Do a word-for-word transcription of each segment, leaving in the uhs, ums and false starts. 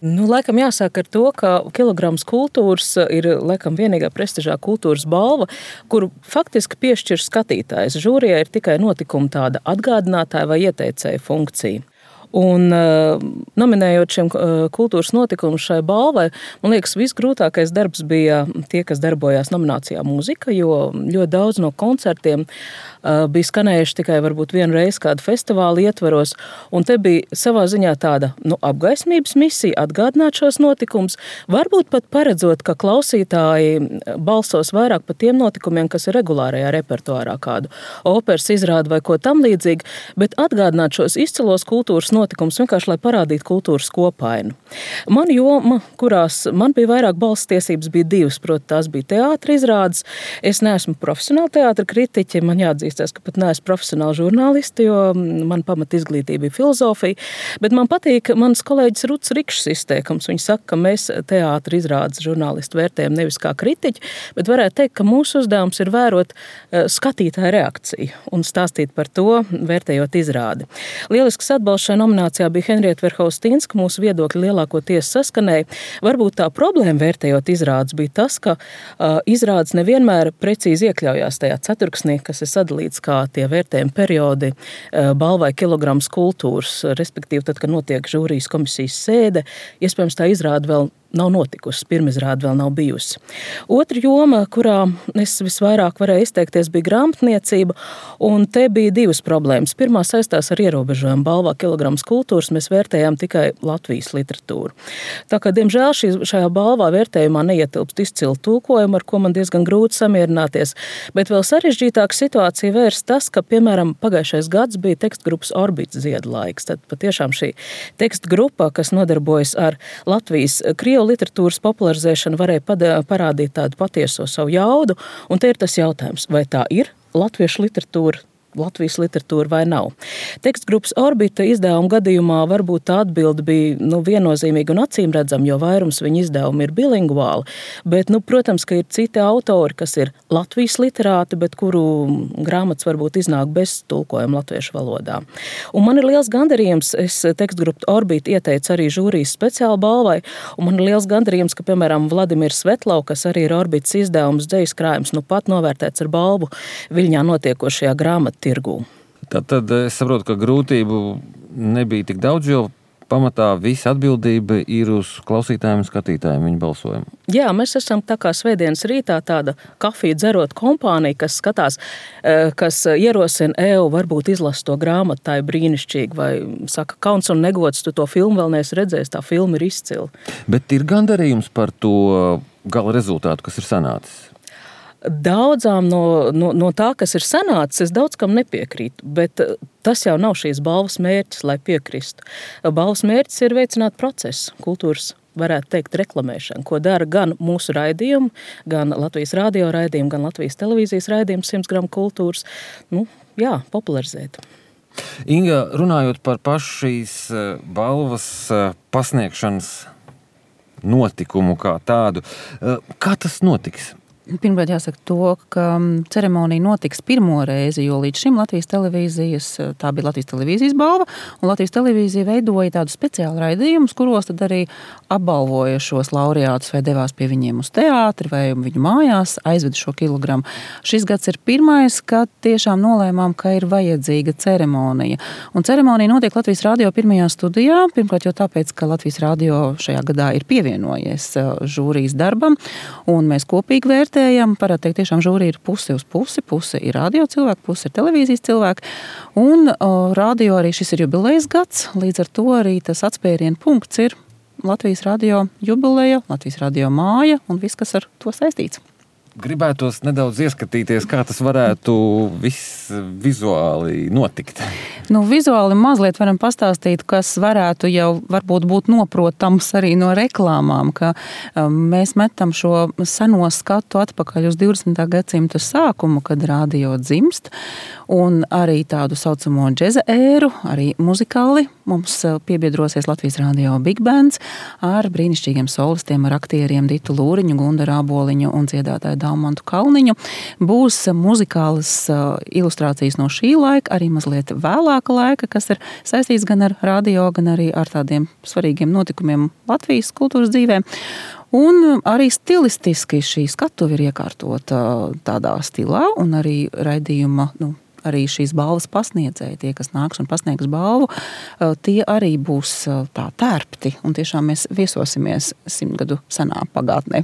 Nu, laikam jāsāk ar to, ka Kilograms kultūras ir laikam vienīgā prestižā kultūras balva, kuru faktiski piešķir skatītājs. Žūrijai ir tikai notikuma tāda atgādinātāja vai ieteicēja funkcija. Un, uh, nominējot šiem uh, kultūras notikumus šai balvai, man liekas, visgrūtākais darbs bija tie, kas darbojās nominācijā mūzika, jo ļoti daudz no koncertiem uh, bija skanējuši tikai varbūt vienu reizi kādu festivālu ietvaros, un te bija savā ziņā tāda nu, apgaismības misija atgādināt šos notikumus, varbūt pat paredzot, ka klausītāji balsos vairāk par tiem notikumiem, kas ir regulārajā repertuārā, kādu operas izrādu vai ko tam līdzīgi, bet atgādināt šos izcilos kultūras notikums vienkārši, lai parādītu kultūras kopainu. Man joma, kurās man bija vairāk balss tiesības, bija divas, proti tās bija teātra izrādes. Es neesmu profesionāla teātra kritiķe, man jāatzīstās, ka pat neesmu profesionāla žurnālisti, jo man pamat izglītība bija filozofija, bet man patīk mans kolēģis Ruts Rikšs izteikums. Viņš saka, ka mēs teātra izrādes žurnālisti vērtējam nevis kā kritiķi, bet varētu teikt, ka mūsu uzdevums ir vērot skatītāju reakciju un stāstīt par to, vērtējot izrādi. Lielisks atbalsts šai nominācijā bija Henrieta Verhaustīnska, mūsu viedokļi lielākoties saskanēja. Varbūt tā problēma vērtējot izrādes bija tas, ka uh, izrādes nevienmēr precīzi iekļaujās tajā ceturksnī, kas ir sadalīts kā tie vērtējumi periodi uh, balvai Kilograms kultūras, respektīvi tad, kad notiek žūrijas komisijas sēde, iespējams tā izrāde vēl nav notikusi, pirmizrāde vēl nav bijusi. Otra joma, kurā es visvairāk varēju izteikties, bija grāmatniecība, un te bija divas problēmas. Pirmā saistās ar ierobežojumu balvā Kilograms kultūras, mēs vērtējām tikai Latvijas literatūru. Tā kā, diemžēl, šī, šajā balvā vērtējumā neietilpst izcilu tulkojumu, ar ko man diezgan grūti samierināties, bet vēl sarežģītāka situācija vērst tas, ka, piemēram, pagājušais gads bija tekstgrupas Orbīts ziedlaiks. Tad patiešām šī tekstgrupa, kas nodarbojas ar Latvijas krievu literatūras popularizēšana, varēja parādīt tādu patieso savu jaudu, un te ir tas jautājums, vai tā ir latviešu literatūra, Latvijas literatūra vai nav. Tekstgrupas Orbita izdevuma gadījumā varbūt tā atbilde bija nu, viennozīmīga un acīmredzama, jo vairums viņa izdevumi ir bilingvāli, bet, nu, protams, ka ir citi autori, kas ir Latvijas literāti, bet kuru grāmatas varbūt iznāk bez tulkojuma latviešu valodā. Un man ir liels gandarījums, es tekstgrupu Orbita ieteicu arī žūrijas speciāli balvai, un man ir liels gandarījums, ka, piemēram, Vladimirs Svetlau, kas arī ir Orbitas izdevums dzejas krājums, nu pat novērtēts ar balvu Viļņā notiekošajā grāmatu tirgū. Tad, tad es saprotu, ka grūtību nebija tik daudz, jo pamatā visa atbildība ir uz klausītājiem un skatītājiem viņa balsojumu. Jā, mēs esam tā kā svētdienas rītā tāda kafiju dzerot kompānija, kas skatās, kas ierosina eju, varbūt izlas to grāmatu, tā ir brīnišķīgi, vai saka, kauns un negods, tu to filmu vēl neesi redzējis, tā filma ir izcila. Bet ir gandarījums par to gala rezultātu, kas ir sanācis? Daudzām no, no, no tā, kas ir sanācis, es daudz kam nepiekrītu, bet tas jau nav šīs balvas mērķis, lai piekristu. Balvas mērķis ir veicināt procesu, kultūras, varētu teikt, reklamēšanu, ko dara gan mūsu raidījumu, gan Latvijas radio raidījumu, gan Latvijas televīzijas raidījumu simts gramu kultūras, nu, jā, popularizēt. Inga, runājot par pašu šīs balvas pasniegšanas notikumu kā tādu, kā tas notiks? Pirmkārt jāsaka to, ka ceremonija notiks pirmo reizi, jo līdz šim Latvijas televīzijas, tā bija Latvijas televīzijas balva, un Latvijas televīzija veidoja tādu speciālu raidījumus, kuros tad arī apbalvoja šos laureātus vai devās pie viņiem uz teātri vai viņu mājās, aizveda šo kilogramu. Šis gads ir pirmais, kad tiešām nolēmām, ka ir vajadzīga ceremonija. Un ceremonija notiek Latvijas radio pirmajā studijā, pirmkārt jau tāpēc, ka Latvijas radio šajā gadā ir pievienojies žūrijas darbam, un mēs kopīgi vērtējam. Parādi teikt, tiešām žūrija ir pusi uz pusi, pusi ir radio cilvēki, pusi ir televīzijas cilvēki, un o, radio arī šis ir jubilejas gads, līdz ar to arī tas atspērienu punkts ir Latvijas radio jubileja, Latvijas radio māja un viss, kas ar to saistīts. Gribētos nedaudz ieskatīties, kā tas varētu viss vizuāli notikt. Nu, vizuāli mazliet varam pastāstīt, kas varētu jau varbūt būt noprotams arī no reklāmām, ka um, mēs metam šo seno skatu atpakaļ uz divdesmitā gadsimta sākumu, kad radio dzimst, un arī tādu saucamo džeza ēru, arī muzikāli mums piebiedrosies Latvijas radio Big Bands ar brīnišķīgiem solistiem, ar aktieriem Ditu Lūriņu, Gundaru Āboliņu un dziedātāju Daumantu Kalniņu. Būs muzikālas ilustrācijas no šī laika, arī mazliet vēlāka laika, kas ir saistīts gan ar radio, gan arī ar tādiem svarīgiem notikumiem Latvijas kultūras dzīvē. Un arī stilistiski šī skatuve ir iekārtota tādā stilā, un arī raidījuma, nu, arī šīs balvas pasniedzēji, tie, kas nāks un pasniegs balvu, tie arī būs tā tērpti, un tiešām mēs viesosimies simtgadu senā pagātnē.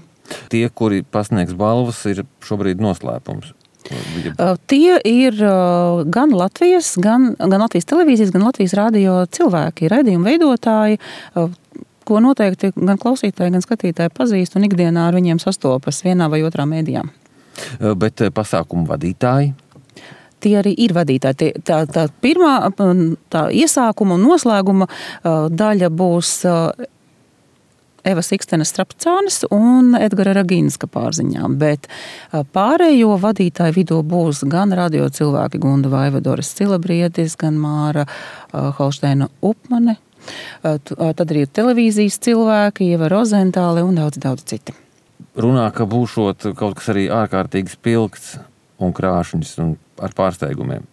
Tie, kuri pasniegs balvas, ir šobrīd noslēpums. Tie ir gan Latvijas, gan, gan Latvijas televīzijas, gan Latvijas radio cilvēki, raidījumu veidotāji, ko noteikti gan klausītāji, gan skatītāji pazīst un ikdienā ar viņiem sastopas vienā vai otrā mēdījā. Bet pasākumu vadītāji? Tie arī ir vadītāji. Tie, tā, tā pirmā tā iesākuma un noslēguma daļa būs Eva Sikstenes Strapcānes un Edgara Ragīnska pārziņām, bet pārējo vadītāju vidū būs gan radio cilvēki Gunda Vaivadoras Cilabrietis, gan Māra Holšteina Upmane, tad arī ir televīzijas cilvēki, Ieva Rozentāle un daudz, daudz citi. Runā, ka būšot kaut kas arī ārkārtīgi spilgts un krāšņs un ar pārsteigumiem.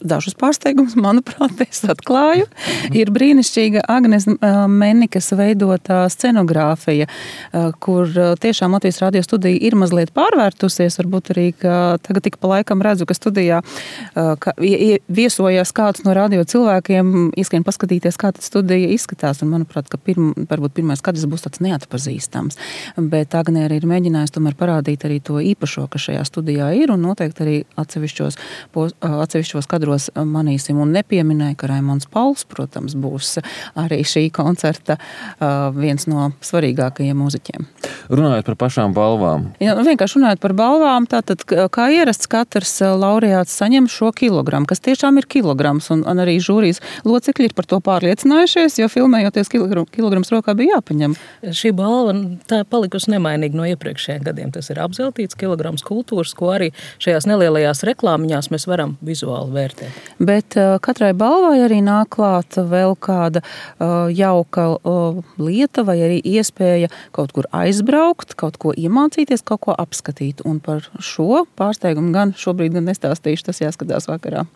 Dažus pārsteigumus, manuprāt, es atklāju. Ir brīnišķīga Agnes Mennikas veidotā scenogrāfija, kur tiešām Latvijas radio studija ir mazliet pārvērtusies. Varbūt arī, ka tagad tik pa laikam redzu, ka studijā ka viesojās kāds no radio cilvēkiem, izskrien paskatīties, kā tad studija izskatās. Un, manuprāt, ka pirm, varbūt pirmais skatis būs tāds neatpazīstams. Bet Agne arī ir mēģinājis tomēr parādīt arī to īpašo, kas šajā studijā ir, un noteikti arī atsevišķos, atsevišķos kadros manīsim, un nepieminēja, ka Raimonds Pauls, protams, būs arī šī koncerta viens no svarīgākajiem mūziķiem. Runājot par pašām balvām. Ja, vienkārši runājot par balvām, tātad, kā ierasts, katrs laureāts saņem šo kilogramu, kas tiešām ir kilograms, un, un arī žūrijas locekļi ir par to pārliecinājušies, jo filmējoties kilogram, kilograms rokā bija jāpaņem. Šī balva tā palikusi nemainīga no iepriekšējiem gadiem. Tas ir apzeltīts kilograms kultūras, ko arī šajās nelielajās reklāmiņās mēs varam vizuāli vērtēt. Bet uh, katrai balvai arī nāk klāt vēl kāda uh, jauka uh, lieta vai arī iespēja kaut kur aizbraukt, kaut ko iemācīties, kaut ko apskatīt. Un par šo pārsteigumu gan šobrīd gan nestāstīšu, tas jāskatās vakarā.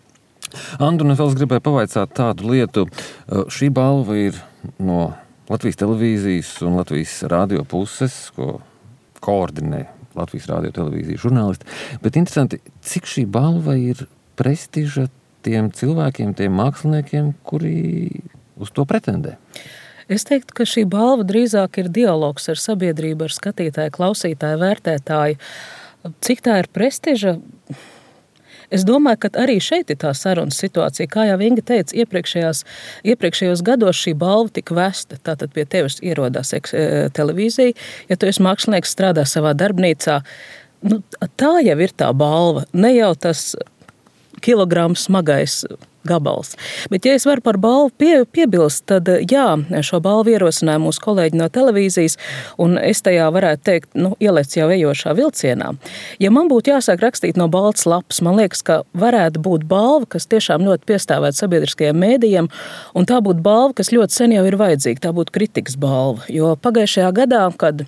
Andru, es vēl gribēju pavaicāt tādu lietu. Šī balva ir no Latvijas televīzijas un Latvijas radio puses, ko koordinē Latvijas radio televīzijas žurnālisti. Bet interesanti, cik šī balva ir prestiža tiem cilvēkiem, tiem māksliniekiem, kuri uz to pretendē? Es teiktu, ka šī balva drīzāk ir dialogs ar sabiedrību, ar skatītāju, klausītāju, vērtētāju. Cik tā ir prestiža? Es domāju, ka arī šeit ir tā sarunas situācija. Kā jau Inga teica, iepriekšējās, iepriekšējos gados šī balva tika vesta. Tātad pie tevis ierodās televīzija. Ja tu esi mākslinieks, strādā savā darbnīcā, nu, tā jau ir tā balva. Ne jau tas kilograms smagais gabals. Bet, ja es varu par balvu pie, piebilst, tad jā, šo balvu ierosināja mūsu kolēģi no televīzijas, un es tajā varētu teikt, nu, ielēc jau ejošā vilcienā. Ja man būtu jāsāk rakstīt no balts lapas, man liekas, ka varētu būt balva, kas tiešām ļoti piestāvētu sabiedriskajiem mēdījiem, un tā būtu balva, kas ļoti sen jau ir vajadzīga, tā būtu kritikas balva. Jo pagājušajā gadā, kad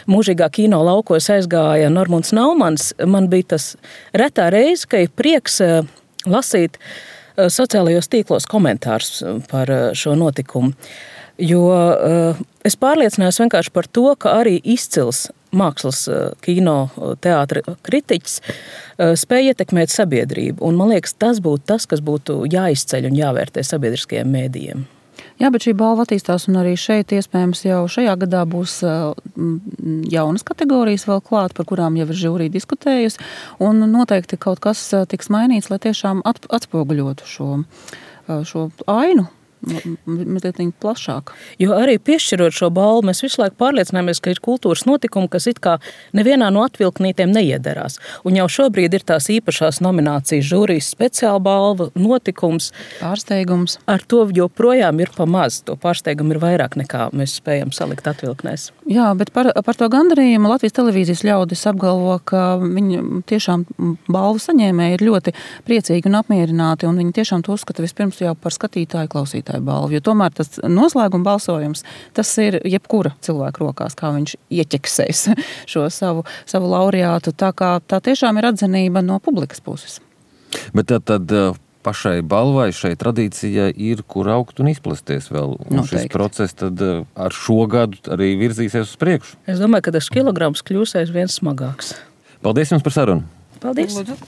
mūžīgā kino laukos aizgāja Normunds Naumans, man bija tas retā reize, ka ir prieks lasīt sociālajos tīklos komentārus par šo notikumu. Jo es pārliecinājos vienkārši par to, ka arī izcils mākslas kino teātra kritiķis spēja ietekmēt sabiedrību. Un man liekas, tas būtu tas, kas būtu jāizceļ un jāvērtē sabiedriskajiem mēdījiem. Jā, bet šī balva attīstās, un arī šeit iespējams jau šajā gadā būs jaunas kategorijas vēl klāt, par kurām jau ir žūrija diskutējusi, un noteikti kaut kas tiks mainīts, lai tiešām atspoguļotu šo, šo ainu. Mazliet plašāk. Jo arī piešķirot šo balvu, mēs visu laiku pārliecināmies, ka ir kultūras notikumi, kas it kā nevienā no atvilknītiem neiedarās. Un jau šobrīd ir tās īpašās nominācijas žūrijas speciāla balva, notikums. Pārsteigums. Ar to joprojām ir pa maz. To pārsteigumu ir vairāk nekā mēs spējam salikt atvilknēs. Jā, bet par, par to gandarījumu Latvijas televīzijas ļaudis apgalvo, ka viņi tiešām balvu saņēmēji ir ļoti priecīgi un apmierināti, un viņi tiešām to uzskata vispirms jau par skatītāju, klausītāju šai balvai. Jo tomēr tas noslēguma balsojums, tas ir jebkura cilvēka rokās, kā viņš ieķeksēs šo savu, savu laureātu. Tā kā tā tiešām ir atzinība no publikas puses. Bet tad, tad pašai balvai, šai tradīcijai ir, kur augt un izplasties vēl. Un Noteikti. Šis process tad ar šo gadu arī virzīsies uz priekšu. Es domāju, ka tas kilograms kļūs aizvien smagāks. Paldies jums par sarunu! Paldies! Lūdzu.